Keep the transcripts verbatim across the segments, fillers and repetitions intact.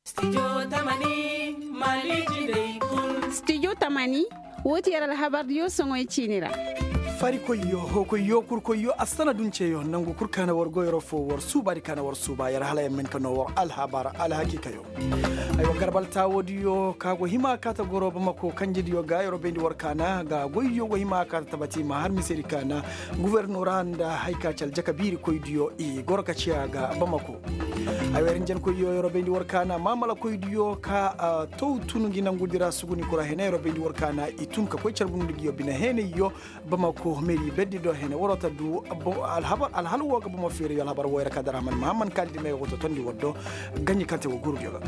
Studio tamani, woo ti yer alhabardiyo soŋoy ciini ra. Farikoyyo, hookoyyo, kurkoyyo, assana dunceyo nangu kul ka na war goyro fo war suubaadi ka na war suuba yer hala yer ma hin ka noo war alhabar alhakiikayo. Aywa garbal taawoodiyo ka go hima kaata goro bamako kanjediyo ga yer bayndi war kaana ga goyyo go hima kaata tabati ma har misedi kaana. Guwernora nda hari ka ci aljaka biirikoydiyo i goro ka ciya ga bamako. Ay wer hinjankoyyo yer bayndi war kaana maamalakoydiyo ka taw tun ngi nangudi ra suguni kura hene yer bayndi war kaana i tun ka koy carbundi ngi yo bine heneyyo. Bamako meeri berdi do hene waroo ta du alhabar alhal woo ga bamo feeriyo alhabar woo yer ka dara man mahamman kaalidi me ga go totondi war do. Ganji kaŋ te woo gurudiyo ga.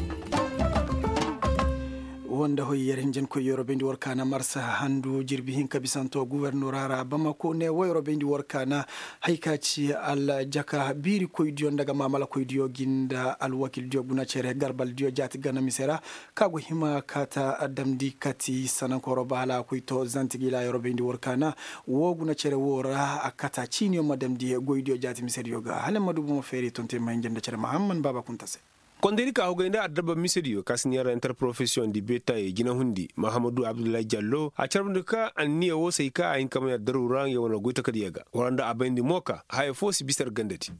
Woo nda hoy yer hinjankoyyo yer bayndi war kaana marsa handu jirbi hinka bisanto guwernora ra bamako ne woo yer bayndi war kaana. Hay ka ci aljaka biirikoydiyo nda ga maamalakoydiyo gi nda alwakildiyo guna cere garbaldiyo jaati gana mise ra. Ka go hima kaata damndi kati sanankoro ba hala a koy to zantigila yer bayndi war kaana. Woo guna cere woo ra a kata ciiniyo ma damndi goydiyo jaati misediyo ga hala ma du bomo feeri tonte ma hinja nda cere mahamman baaba kunta se. Kondaydi ka hugay nda adabba misediyo ka si neera interprofesiyoŋ di beetaayey jinahundi mahamadu abdullahi jallo a carbundi ka anniya woo say ka a hin ka may addaru ra nga wane goy takadiya ga wala nda a bayndi mo ka haya foo si bisa yer gandadi.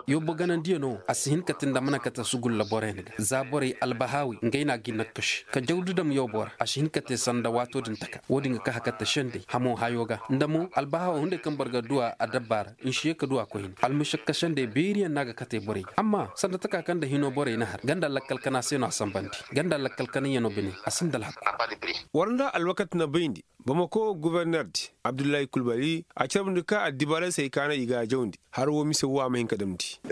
Yobbo ganandiya no a si hin ka te nda mana kate sugulla borey ni ga za borey albahaawi ngey no a ga i nakkaši ka jawdi dam yobbo ra a si hin ka te sanda waatoo din taka woo din ga ka hakata sendey hamo hayo ga nda mo albahaawo hunday kaŋ boro ga du a adabba ra nsi ye ka du a koy hin almušakka sendey beeriyaŋ no a ga kate borey ga amma sanda taka kaŋ nda hinoo borey na har ganda lakkal kana se no a sanbandi ganda lakkal kana yano bine a sinda alhakku. War nda alwakati na bayndi bamako guberner di abdullahi kulbali a carbundi ka addibaaray se ay kaana i ga a jawndi har woo mise woo a ma hin ka damndi.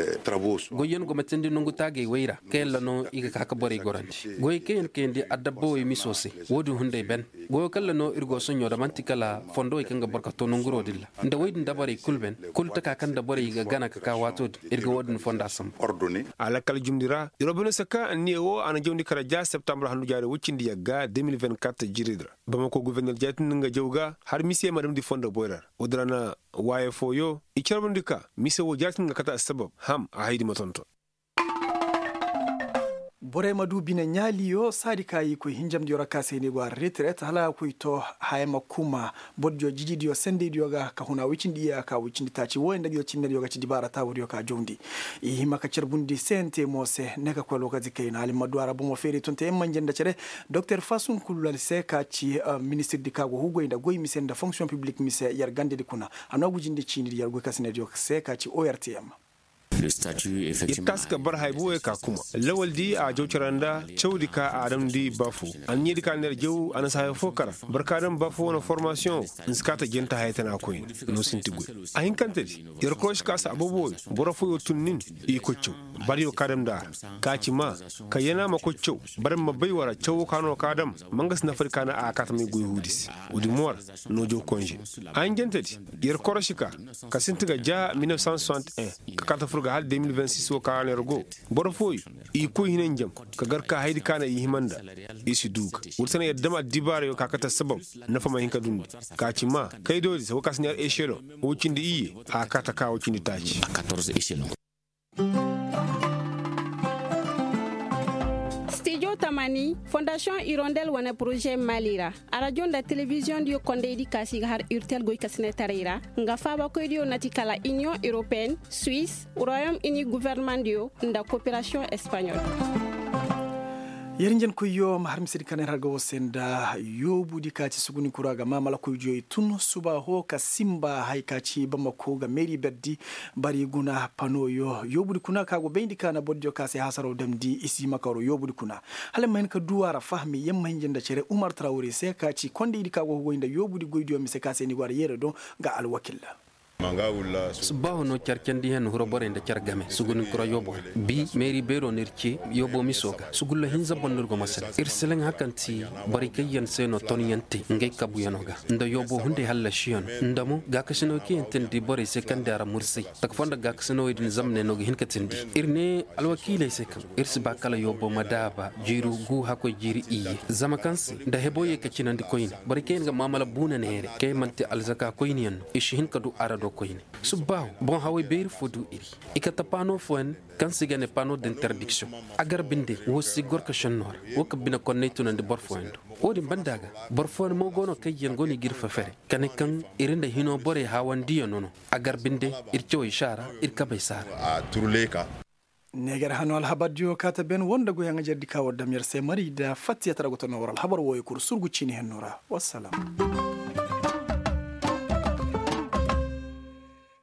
Goyyaŋ go ma teendi nongu taagay way ra kayalla no i ga ka ka borey gorandi goyey kaŋ yaŋ kayandi adabba way miso se. Woo din hunday ben goyo kalla no ir go soɲo da man'ti kala fondowey kaŋ ga boro ka to nonguroo din ra nda woy din dabarey kul ben kul taka kaŋ nda borey ga gana ka ka waatoo din ir ga woo din fonda sambu. A lakkal jumndi ra ir wo bine se kaŋ anniya woo a na jawndi kara ja septambur handu jaari woy cindi yagga de mil vingt-quatre jiiridi ra bamako goforner jaatindi nga jaw ga har mise ma damndi fondo boyra ra. Woo din ra na waaye fooyo i carbundi ka mise woo jaatindi nga kate assabab ham a haydi ma tonton. Borey ma du bine ɲaaliyo saadi ka i koy hinjamdiyo ra ka se ni go a retiret hala a koy to haya ma kuma bordiyo jijidiyo sendeydiyo ga ka huna woy cindi iyaka woy cindi taaci wooyaŋ nda diyo cinnediyo ga ci dibaara taawudiyo ka jawndi. I hima ka carbundi sente mo se ne ka koy lokaci kayna hala i ma du a ra bomo feeri tonte yaŋ manje nda cere. Doktor fasun kululali se ka ci ministirdi ka go hugay nda goy mise nda fonksiyoŋ piblik mise yer gandedi kuna. A no ga jinde ciinidi yer goy kasinediyo se ka ci ortm. Yer taasi ka barhay booyey ka kuma lawal di a jaw cara nda cawdi ka a damndi ba fo. Anniya di ka na yer jaw a na si haya fo kara boro ka daŋ ba fo wane formasiyoŋ wo. Nsi ka ta jenta haya tana koyne no sinti goy. A hinkante di yer korosi ka si aboobo wooyo boro fooyo tun nin i koy caw. Bariyo ka daŋ nda a ra ka ci ma ka yana ma koy caw. Bara ma bay wara cawo ka no ka daŋ ma nga si nafa di ka na a ka ta may goy huudi se. Woodi mo ra no jaw konze a hinjante di yer korosi ka ka sinti ga ja mil neuf cent soixante et un ka kata fur ga hala deux mille vingt-six wo ka ra no yer go. Boro fooyo i koy hinanjam ka gar ka haydi ka na i hima nda. I si du ga woodi se no yer dam addibaarayo ka kate sabab nafa ma hin ka dundi. Ka ci ma kaydoodi se wo ka si ne yer echelon wo cindi iyye a kata ka wo cindi taaci. Studio tamani fondasiyoŋ irondel wane poroze mali ra. Arajo nda telebiziyoŋ diyo kondey di kaasi ga har urtel goy ka sine taray ra. Nga faabakoy diyo na ti kala iniyoŋ europeen, suwis, royom ini guverneman diyo nda koperasiyoŋ espaɲol. Yer njenkoyyo ma har misedi kaŋ yer har ga wo se nda yoobudi ka ci suguni kura ga maamalakoydiyo i tun suba ho ka simba haya ka ci bamako ga meeri berdi. Bari guna panoyo yoobudi kuna ka go bayndi ka na bordiyo ka se hasaro damndi i si hima ka waro yoobudi kuna. Hala yer ma hin ka du a ra fahami yer ma hinja nda cere umar tarawre se ka ci kondaydi ka go goy nda yoobudi goydiyo mise ka se ni go a ra yeere do. Nga alwakil. Subbaahu no car candi hen huro borey nda car game suguninkura yoobo ra. Bi meeri beero no ir ce yoobo miso ga sugulla hinza boŋ no ir go masal ir seleŋ hakanti. Borey kaŋ yaŋ se no tonyaŋ te ngey kabuyaŋo ga nda yoobo hunday hallasiyaŋo nda mo gaakasinawey kaŋ yaŋ teendi borey se kaŋ di a ra mursay. Taka foo nda gaakasinawey din zamney no ga hin ka teendi. Ir ne alwakiiley se kaŋ ir si ba kala yoobo ma daaba jiiri gu hakkoy jiiri iyye. Zama kaŋ se nda heboo ye ka cinandi koyne borey kaŋ yaŋ ga maamala buuna neere kaŋ yaŋ man'ti alzaka koyneyaŋ no i si hin ka du a ra do. Koyne subbaawo boŋ haway beeri fo du iri i kate paano fooyaŋ kaŋ se i ga ne paano d'interdiction. A gar binde wo si gor ka šennoo ra wo ka bine konney tunandi boro fooyaŋ do. Wo-din banda ga boro fooyaŋ mo go no kaŋ yaŋ go no i ga iri fefere ka ne kaŋ iri nda hinoo borey haawandiyaŋo no. A gar binde iri cawey si a ra iri kabey si a ra. Neegar hano alhabardiyo kaate ben woo nda goyaŋ ajardi ka war dam yer se mari nda fattiyatara go ta no war alhabar wooyo kul surgu ciini henno ra. Wassalam.